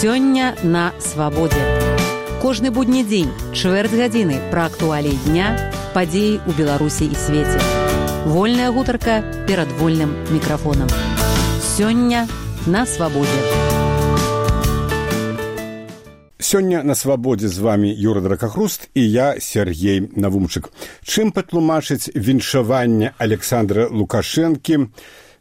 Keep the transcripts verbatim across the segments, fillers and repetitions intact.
Сёння на свабодзе. Кожны будні дзень, чвэрць гадзіны пра актуаліі дня, падзеі ў Беларусі і свеце. Вольная гутарка перад вольным мікрафонам. Сёння на свабодзе. Сёння на свабодзе з вамі Юра Дракахруст і я, Сергей Навумчык. Чым патлумачыць віншаванне Александра Лукашэнкі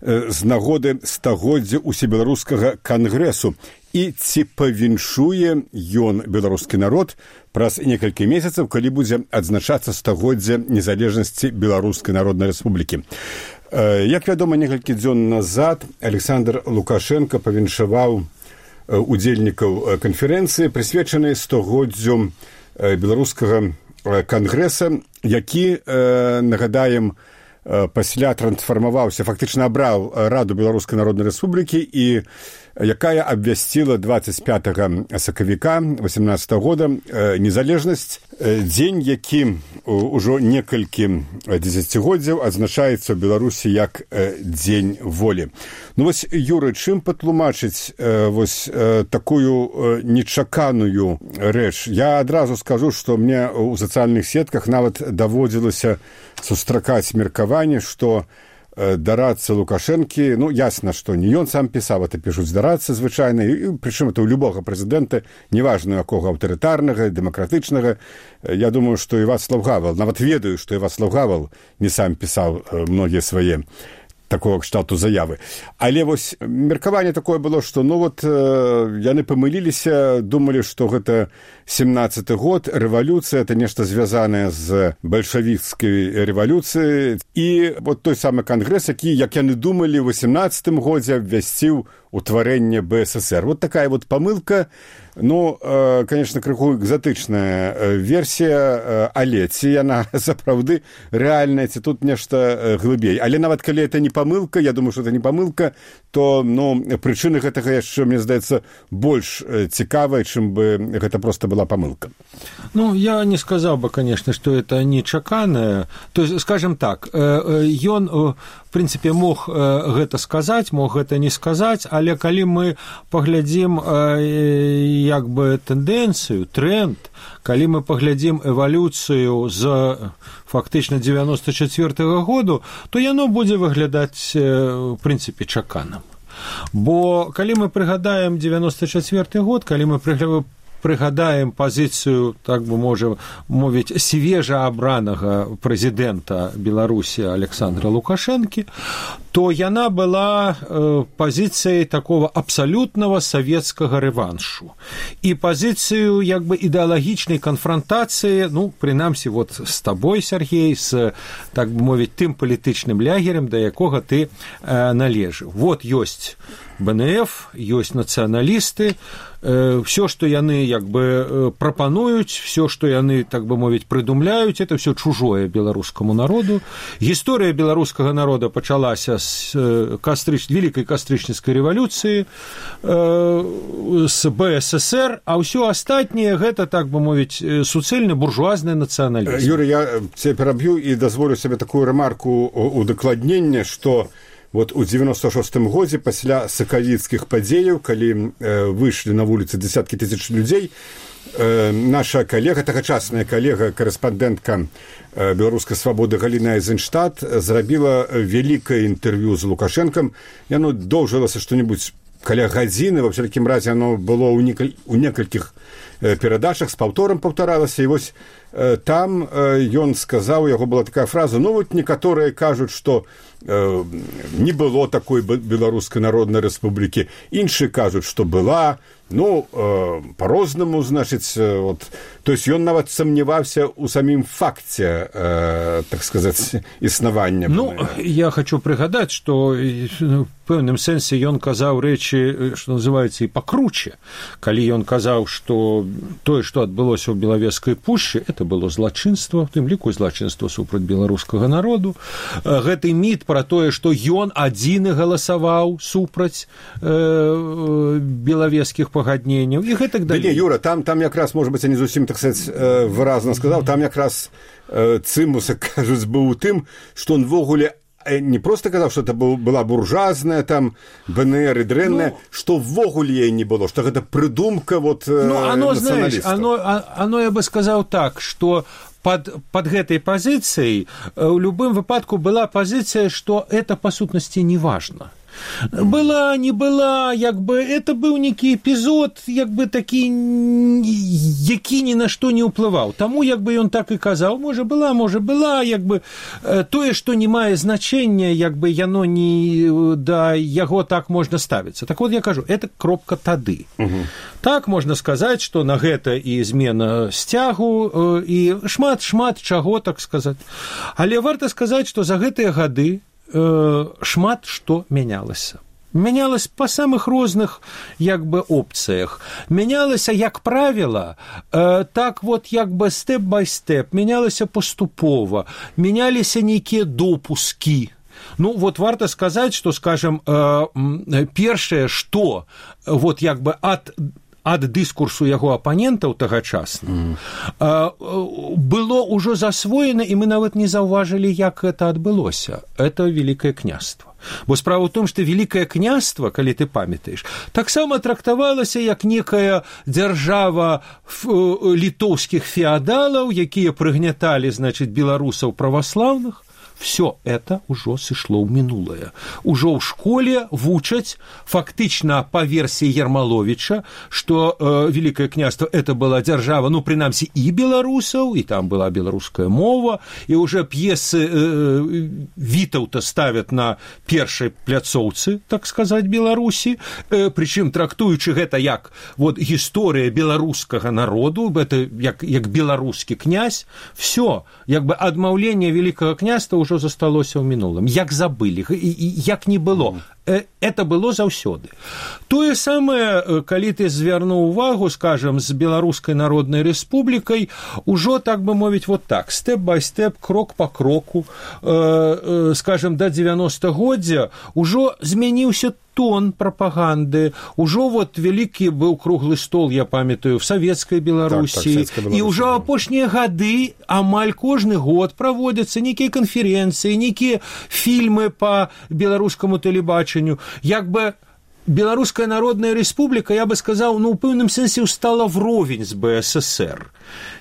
з нагоды стагоддзя усебеларускага кангрэсу і ці павіншуе ён беларускі народ праз некалькі месяцаў, калі будзе адзначацца стагоддзя незалежнасці Беларускай Народнай Рэспублікі. Як вядома, некалькі дзён назад Александр Лукашенко павіншаваў удзельнікаў канферэнцыі, прысвечанай стагоддзю беларускага кангрэса, які, нагадаем, пасля трансфармаваўся, фактычна абраў Раду Беларускай Народнай Рэспублікі і якая абвясціла дваццаць пятага сакавіка восемнадцатага года незалежнасць, дзень, які ўжо некалькі дзесяцігоддзяў адзначаецца ў Беларусі як дзень волі. Ну вось, Юры, чым патлумачыць вось такую нечаканую рэч? Я адразу скажу, што мне ў сацыяльных сетках нават даводзілася сустракаць меркаванне, што дарацца Лукашэнкі, ну, ясна, што не ён сам пісаў, это пішуць дарацца звычайна, і прычым это ў любога прэзідэнта, неважна якога аўтарытарнага, дэмакратычнага. Я думаю, што і Вацлаў Гавал, нават ведаю, што і Вацлаў Гавал не сам пісаў многія свае такого кшталту заявы. Але вось меркаванне такое было, што ну вот яны памыліліся, думалі, што гэта семнадцаты год, рэвалюцыя, это нешта звязанае з бальшавіцкай рэвалюцыяй, і вот той самы кангрэс, які, як яны думалі, у восемнадцатым годзе абвясціў утварэнне бэ эс эс эр. Вот такая вот памылка, ну, э, конечно, крыху экзатычная э, версія, э, але ці яна сапраўды рэальная, ці тут нешта э, глыбей. Але нават калі это не памылка, я думаю, что это не памылка, то, ну, прычыны гэтага яшчэ, мне здаецца, больш э, цікавая, чым бы гэта проста была памылка. Ну, я не сказал бы, конечно, что это нечаканае. То есть, скажем так, ён, в принципе, мог гэта сказаць, мог гэта не сказаць, але калі мы паглядзім як бы тэндэнцыю, тренд, калі мы паглядзім эвалюцыю з фактычна дзевяносто чацвёртага году, то яно будзе выглядаць, в принципе, чаканым. Бо калі мы прыгадаем дзевяносто чацвёрты год, калі мы прыгадаем прыгадаем пазіцыю, так бы можа мовіць, свежа абранага прэзідэнта Беларусі Александра Лукашэнкі, то яна была э, пазіцыяй такого абсалютнага савецкага рэваншу. І пазіцыю як бы ідэалагічнай канфрантацыі, ну, прынамсі, вот з табой, Сергей, з, так бы мовіць, тым палітычным лягерам, да якога ты э, належыў. Вот ёсць бэ эн эф, ёсць нацыяналісты, э, все, што яны як бы э, прапануюць, все, што яны, так бы мовіць, прыдумляюць, это все чужое беларускаму народу. Гісторыя беларускага народа пачалася з э, кастрыч... великай кастрычніцкай рэвалюцыі, э, з бэ эс эс эр, а ўсё астатняе гэта, так бы мовіць, суцэльны буржуазны нацыяналізм. Юрий, я цябе пераб'ю і дазволю сабе такую рэмарку удакладнення, што вот у девяносто шостым годзе пасля сакавіцкіх падзеяў, калі э, выйшлі на вуліцы десяткі тысяч людзей, э, наша калега, тагачасная калега, корэспандэнтка э, беларускай свабоды Галіна Эйзенштадт зрабіла вялікае інтэрв'ю з Лукашэнкам. Яно доўжылася што-небудзь каля гадзіны, во всякім разе оно было ў, некаль... у некалькіх э, перадачах, з паўторам паўтаралася, і вось э, там э, ён сказаў, у яго была такая фраза, ну вот некаторыя кажуць, што э, не было такой Беларускай Народнай Рэспублікі, іншыя кажуць, што была, ну, э, по-рознаму, значыць, э, вот, то есть ён нават сомневаўся ў самім факце, э, так сказаць, існавання. Ну, я хочу прыгадаць, што в пэўным сэнсе ён казаў рэчы, што называецца, і пакруче. Калі ён казаў, што тое, што адбылося ў Белавежскай пушчы, это было злачынства, в тым ліку злачынства супраць беларускага народу. Гэты міт пра тое, што ён адзіны галасаваў супраць э, белавежскіх пагадненняў і гэтак далей. Да не, Юра, там, там якраз, может быть, я не зусім, так сказать, выразна сказаў, там якраз э, цымуса, кажуць, быў у тым, што он ввогуле не просто казаў, што это была буржуазная там БНР і дрэнная, ну, што ввогуле яе не было, што гэта прыдумка вот, ну, оно, знаешь, оно, оно, я бы сказаў так, што под, под гэтай пазіцыяй у любым выпадку была пазіцыя, што это па сутнасці не важна. Была, не была, як бы, это быў нейкі эпізод, як бы такі, які ні на што не ўплываў. Таму, як бы, ён так і казаў, можа была, можа была, як бы, тое, што не мае значэння, як бы, яно не, да яго так можна ставіцца. Так вот, я кажу, это кропка тады. Угу. Так можна сказаць, што на гэта і змена сцягу, і шмат-шмат чаго, так сказаць. Але варта сказаць, што за гэтыя гады шмат што мянялася. Мянялася па самых розных, як бы, опцыях. Мянялася, як правіла, э, так вот, як бы, стэп-бай-стэп, мянялася паступова, мяняліся нейкія допускі. Ну, вот варта сказаць, што, скажем, э, першае, што, вот, як бы, ад ад дыскурсу яго апанентаў тагачасна, mm. было ўжо засвоена, і мы нават не заўважылі, як гэта адбылося. Это Великае княства. Бо справа ў том, што Великае княства, калі ты памятаеш, таксама трактавалася як некая дзяржава літоўскіх феадалаў, якія прыгняталі, значыць, беларусаў праваслаўных. Все это уже сышло в минулое. Уже в школе вучаць фактично по версии Ермоловича, что э, Великое княство это была держава, ну, принамсі, и белорусов, и там была белорусская мова, и уже пьесы э, Витаўта ставят на першай пляцоўцы, так сказать, Беларуси, э, причем трактуючи это як вот история белорусского народу, это як, як белорусский князь, все, як бы адмаўленне Великого княства уже засталося ў мінулым, як забылі, і, і як не было. Это было заўсёды. Тое самае, калі ты звярнуў увагу, скажем, з Беларускай Народнай Рэспублікай, ужо, так бы мовіць, вот так, стэп-бай-стэп, крок па кроку, э, э, скажем, да дзевяностагоддзя, ужо змяніўся тон прапаганды, ужо вот вялікі быў круглы стол, я памятаю, в Савецкай Беларусі, так, так, і ўжо апошнія гады амаль кожны год праводзяцца нейкія канферэнцыі, нейкія фільмы па беларускаму тэлебачанню, як бы Беларуская Народная Рэспубліка, я бы сказаў, ну, у пэўным сэнсе ўстала вровень з БССР.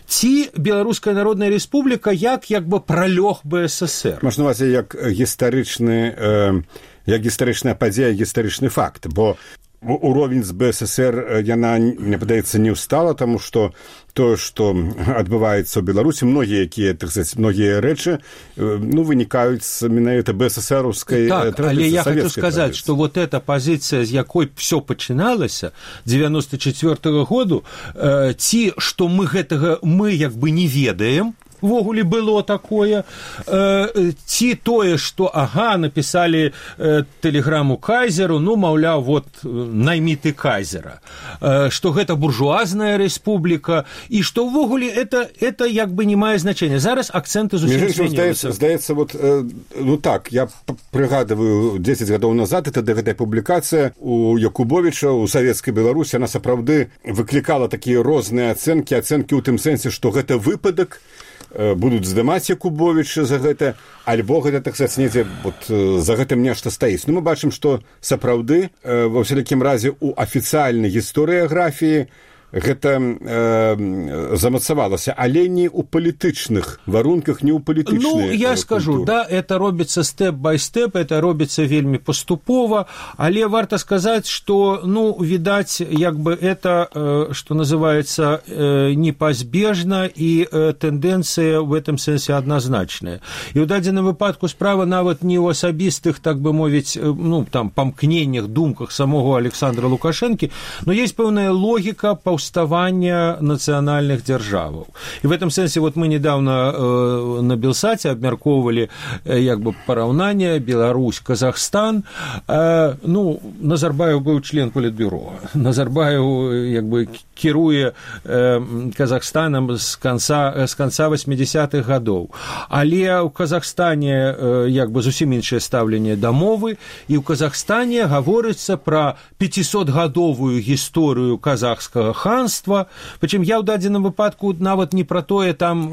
Ці Беларуская Народная Рэспубліка як, як бы пралёг БССР. Можна вас як гістарычны, э, як гістарычная падзея, гістарычны факт, бо уровень з БССР яна, мне падаецца, не ўстала, таму што тое, што адбываецца ў Беларусі, многія якія, так сказаць, многія рэчы, ну, вынікаюць з менавіта БССРаўскай так, традыцыі, але я хочу сказаць, што вот эта пазіцыя, з якой все пачыналася девяносто четвёртого году, э, ці што мы гэтага мы як бы не ведаем, ввогуле было такое, э, ці тое, што, ага, напісалі э, тэлеграму кайзеру, ну, маўляў, вот, наймі ты кайзера, э, што гэта буржуазная рэспубліка, і што ввогуле это, это як бы не мае значэння. Зараз акцэнты зусім змяніліся. Здаецца, здаецца, вот, э, ну так, я прыгадываю, дзесяць гадоў назад, это гэтая публікацыя у Якубовіча, у Савецкай Беларусі, она сапраўды выклікала такія розныя ацэнкі, ацэнкі ў тым сэнсе, што гэта выпадак, будуць здымаць Якубовіча за гэта, альбо гэта, так сказаць, недзе вот, за гэтым нешта стаіць. Ну, мы бачым, што сапраўды, ва ўсялякім разе, у афіцыяльнай гістарыяграфіі гэта э, замацавалася, але не ў палітычных варунках, не ў палітычнай Ну, я культуры. скажу, да, это робіцца стэп-бай-стэп, это робіцца вельмі паступова, але варта сказаць, што, ну, відаць, як бы это, э, што называецца, э, непазбежна, і э, тэндэнцыя ў гэтым сэнсе адназначная. І ў дадзеным выпадку справа нават не ў асабістых, так бы мовіць, э, ну, там, памкненнях, думках самого Александра Лукашэнкі, но есть пэўная логіка па уставання нацыянальных дзяржаваў. І в этом сэнсе вот мы недавно э, на Белсаце абмяркоўвалі э, як бы параўнанне Беларусь, Казахстан. Э, ну, Назарбаев быў член Політбюро. Назарбаев як бы кіруе э, Казахстанам з канца, з канца восьмидесятых гадоў. Але ў Казахстане э, як бы зусім іншае стаўленне да мовы, і ў Казахстане гаворыцца пра пяцісотгадовую гісторыю казахскага ханства. Прычым я ў дадзеным выпадку нават не пра тое там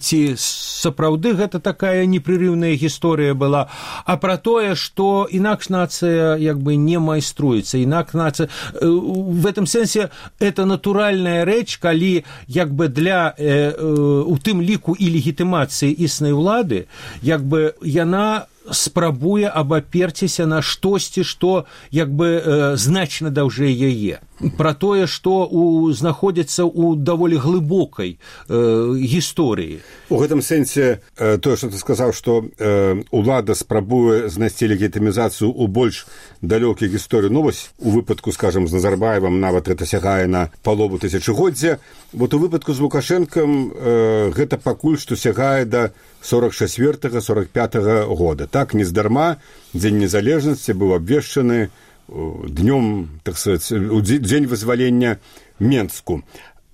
ці сапраўды гэта такая непрерыўная гісторыя была, а пра тое, што інакш нацыя як бы не майструецца, інакш нацыя в этом сэнсе это натуральная рэч, калі як бы для э, э, у тым ліку і легітымацыі існай улады як бы яна спрабуе абаперціся на штосьці, што як бы э, значна даўжэй яе. Пра тое, што у, знаходзіцца ў даволі глыбокай э, гісторыі. У гэтым сэнсе э, тое, што ты сказаў, што э, улада спрабуе знайсці легітымізацыю ў больш далёкай гісторыі. Ну вось у выпадку, скажам, з Назарбаевым нават гэта сягае на палову тысячагоддзя. Вот у выпадку з Лукашэнкам э, гэта пакуль што сягае да сорок чацвёртага сорок пятага года. Так, нездарма дзень незалежнасці быў абвешчаны днём, так сказать, дзень вызвалення Менску.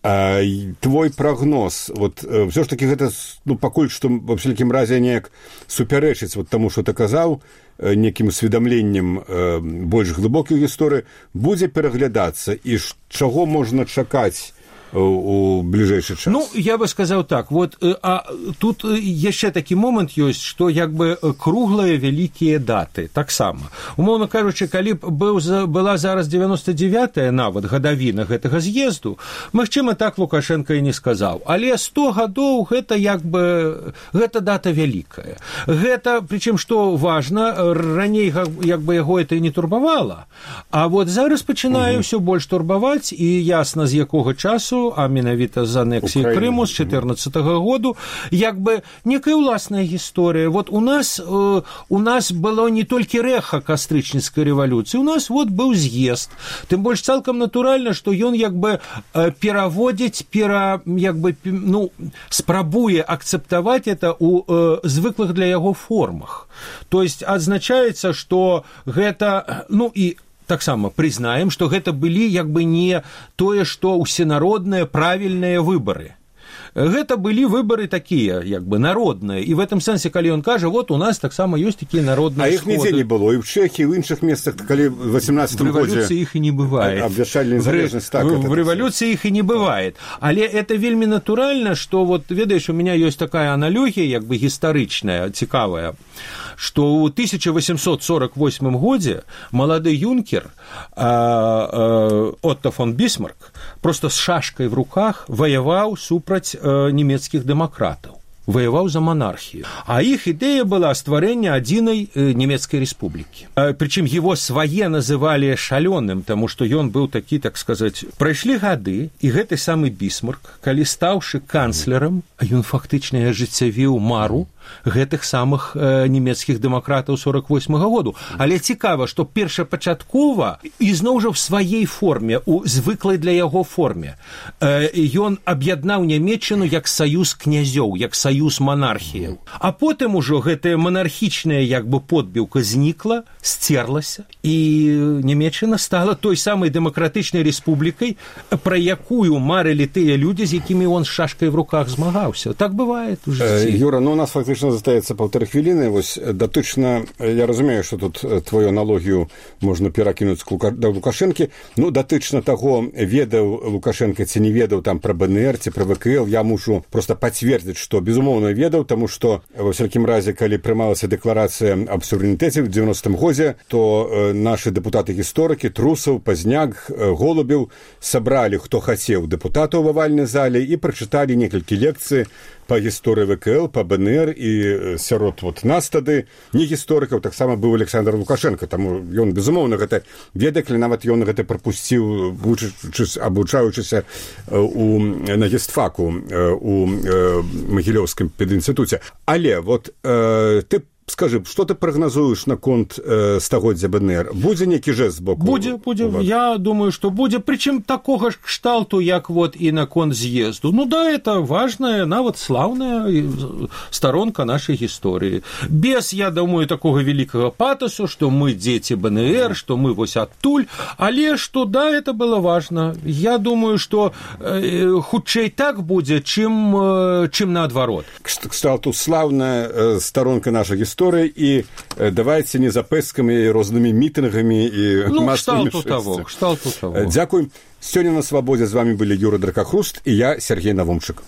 А, твой прогноз, вот все ж таки гэта, ну, пакуль што во всякім разе неяк супярэчыць вот таму, што ты казаў, некім усведамленнем э, больш глыбокай гісторыі, будзе пераглядацца, і чаго можна чакаць у бліжэйшы час? Ну, я бы сказаў так, вот, а тут яшчэ такі момант ёсць, што як бы круглыя вялікія даты, таксама. Умоўна кажучы, калі б быў, была зараз девяносто девятая нават гадавіна гэтага з'езду, магчыма, так Лукашенко і не сказаў. Але сто гадоў гэта як бы, гэта дата вялікая. Гэта, прычым, што важна, раней як бы яго это і не турбавала, а вот зараз пачынае ўсё угу. больш турбаваць, і ясна, з якога часу, а менавіта з анексіі Крыму з чатырнаццатага году, як бы некая ўласная гісторыя. Вот у нас, э, у нас было не толькі рэха кастрычніцкай рэвалюцыі, у нас вот быў з'езд. Тым больш цалкам натуральна, што ён як бы э, пераводзіць, пера, як бы, ну, спрабуе акцэптаваць это ў э, звыклых для яго формах. То есть адзначаецца, што гэта, ну, і таксама прызнаем, што гэта былі як бы не тое, што ўсенародныя правільныя выбары. Гэта былі выбары такія, як бы народныя. І в этом сэнсе, калі ён кажа, вот у нас таксама ёсць такія народныя сходы. А іх нідзе не было. І ў Чэхіі, і ў іншых месцах, калі в восемнадцатым годзе... В рэвалюцыі іх і не бывае. Абвяшчальная незалежнасць, так. В рэвалюцыі іх і не бывае. Але это вельмі натуральна, што, вот, ведаеш, у меня ёсць такая аналогія, як бы гістарычная, цікавая, што ў тысяча восемьсот сорок восьмым годзе малады юнкер а, а, Отто фон Бісмарк просто з шашкай в руках ваяваў супраць а, нямецкіх дэмакратаў. Воевал за монархию. А их идея была стварэння адзінай э, немецкай республики. Э, причем его свае называли шалёным, потому что ён был такі, так сказать, прайшлі гады, и гэты самый Бісмарк, калі стаўшы канцлерам, ён фактычна ажыццявіў мару гэтых самых э, немецкіх дэмакратаў сорок восьмага году. Але цікава, што першапачаткова, ізноў жа в сваей форме, у звыклай для яго форме, э, ён аб'яднаў Нямецчыну як саюз князёў, як саюз монархіяў. А потым ужо гэтая монархічная як бы подбіўка знікла, сцерлася, і Нямецчына стала той самай дэмакратычнай рэспублікай, пра якую марылі тыя людзі, з якімі он з шашкай в руках змагаўся. Так бывае у жыцці. Юра, ну у нас фактычна застаецца паўтары хвіліны. Вось датычна, я разумею, што тут твою аналогію можна перакінуць да Лукашэнкі. Ну, датычна таго, ведаў Лукашенко ці не ведаў там пра БНР ці пра ВКЛ, я мушу просто пацвердзіць, што безумоўна ведаў, таму што ва всякім разе, калі прымалася дэкларацыя аб суверэнітэце ў дзевяностым годзе, то э, нашы дэпутаты-гісторыкі Трусаў, Пазняк, э, Голубеў сабралі, хто хацеў, дэпутатаў у авальнай зале і прачыталі некалькі лекцый па гісторыі ВКЛ, па БНР, і сярод вот нас тады не гісторыкаў таксама быў Александр Лукашенко, таму ён безумоўна гэта ведае, калі нават ён гэта прапусціў, абучаючыся у на гістфаку у Магілёўскім педінстытуце. Але вот э, ты скажи, што ты прагназуеш наконт э, стагоддзя БНР? Будзе нейкі жэст з боку? Будзе, будзе. Я думаю, што будзе. Прычым такога ж кшталту, як вот і наконт з'езду. Ну да, это важная, нават слаўная старонка нашай гісторыі. Без, я думаю, такога вялікага патасу, што мы дзеці БНР, што мы вось адтуль, але што да, это было важна. Я думаю, што э, хутчэй так будзе, чым, э, чым наадварот. Кшталту слаўная э, старонка нашай гісторыі. гісторыя і давайце не запэскамі і рознымі мітынгамі і ну, масавымі шэсцямі. Дзякуй. Сёння на свабодзе з вами былі Юра Дракахруст і я, Сергей Навумчык.